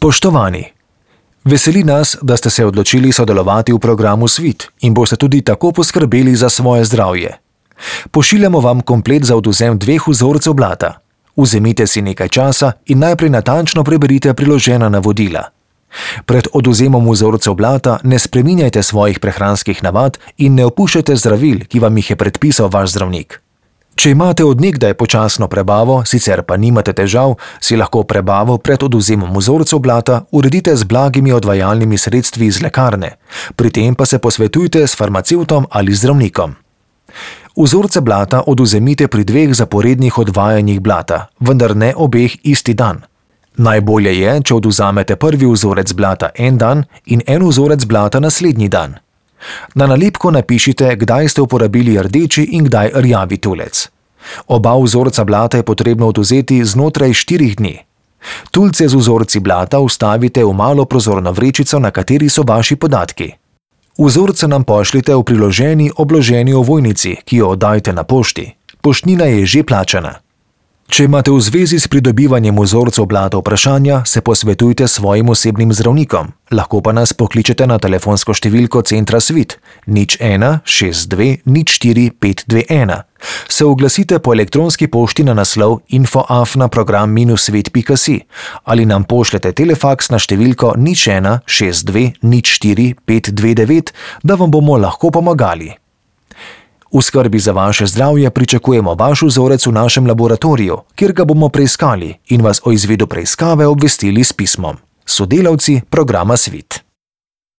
Spoštovani! Veseli nas, da ste se odločili sodelovati v programu Svit in boste tudi tako poskrbeli za svoje zdravje. Pošiljamo vam komplet za odvzem 2 vzorcev blata. Vzemite si nekaj časa in najprej natančno preberite priložena navodila. Pred odvzemom vzorcev blata ne spreminjajte svojih prehranskih navad in ne opuščajte zdravil, ki vam jih je predpisal vaš zdravnik. Če imate od nekdaj počasno prebavo, sicer pa nimate težav, si lahko prebavo pred odvzemom vzorcev blata uredite z blagimi odvajalnimi sredstvi iz lekarne, pri tem pa se posvetujte s farmacevtom ali zdravnikom. Vzorce blata odvzemite pri 2 zaporednih odvajanjih blata, vendar ne obeh isti dan. Najbolje je, če odvzamete prvi vzorec blata en dan in en vzorec blata naslednji dan. Na nalepko napišite, kdaj ste uporabili rdeči in kdaj rjavi tulec. Oba vzorca blata je potrebno odvzeti znotraj 4 dni. Tulce z vzorci blata vstavite v malo prozorno vrečico, na kateri so vaši podatki. Vzorce nam pošljite v priloženi obloženi ovojnici, ki jo oddajte na pošti. Poštnina je že plačana. Če imate v zvezi s pridobivanjem vzorcev blata vprašanja, se posvetujte s svojim osebnim zdravnikom. Lahko pa nas pokličete na telefonsko številko Centra Svit 01 62 04 521. Se oglasite po elektronski pošti na naslov info@program-svet.si ali nam pošljete telefaks na številko 01 62 04 529, da vam bomo lahko pomagali. V skrbi za vaše zdravje pričakujemo vaš vzorec v našem laboratoriju, kjer ga bomo preiskali in vas o izvedu preiskave obvestili s pismom. Sodelavci programa Svit.